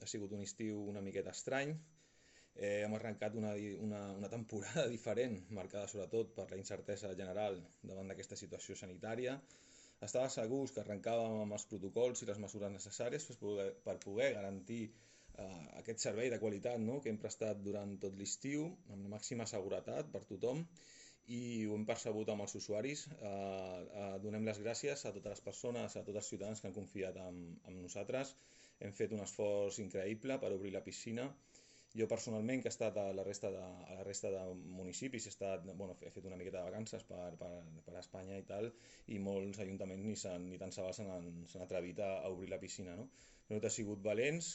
ha sigut un estiu una miqueta estrany. Hem arrencat una temporada diferent, marcada sobretot per la incertesa general davant d'aquesta situació sanitària. Estava segurs que arrencàvem amb els protocols i les mesures necessàries per poder garantir aquest servei de qualitat, no?, que hem prestat durant tot l'estiu, amb la màxima seguretat per tothom, i ho hem percebut amb els usuaris. Donem les gràcies a totes les persones, a tots els ciutadans que han confiat en nosaltres. Hem fet un esforç increïble per obrir la piscina. Jo personalment, que he estat a la resta de municipis, he fet una miqueta de vacances per Espanya i tal, i molts ajuntaments ni tan sols s'han atrevit a obrir la piscina, no? Nosaltres hem sigut valents,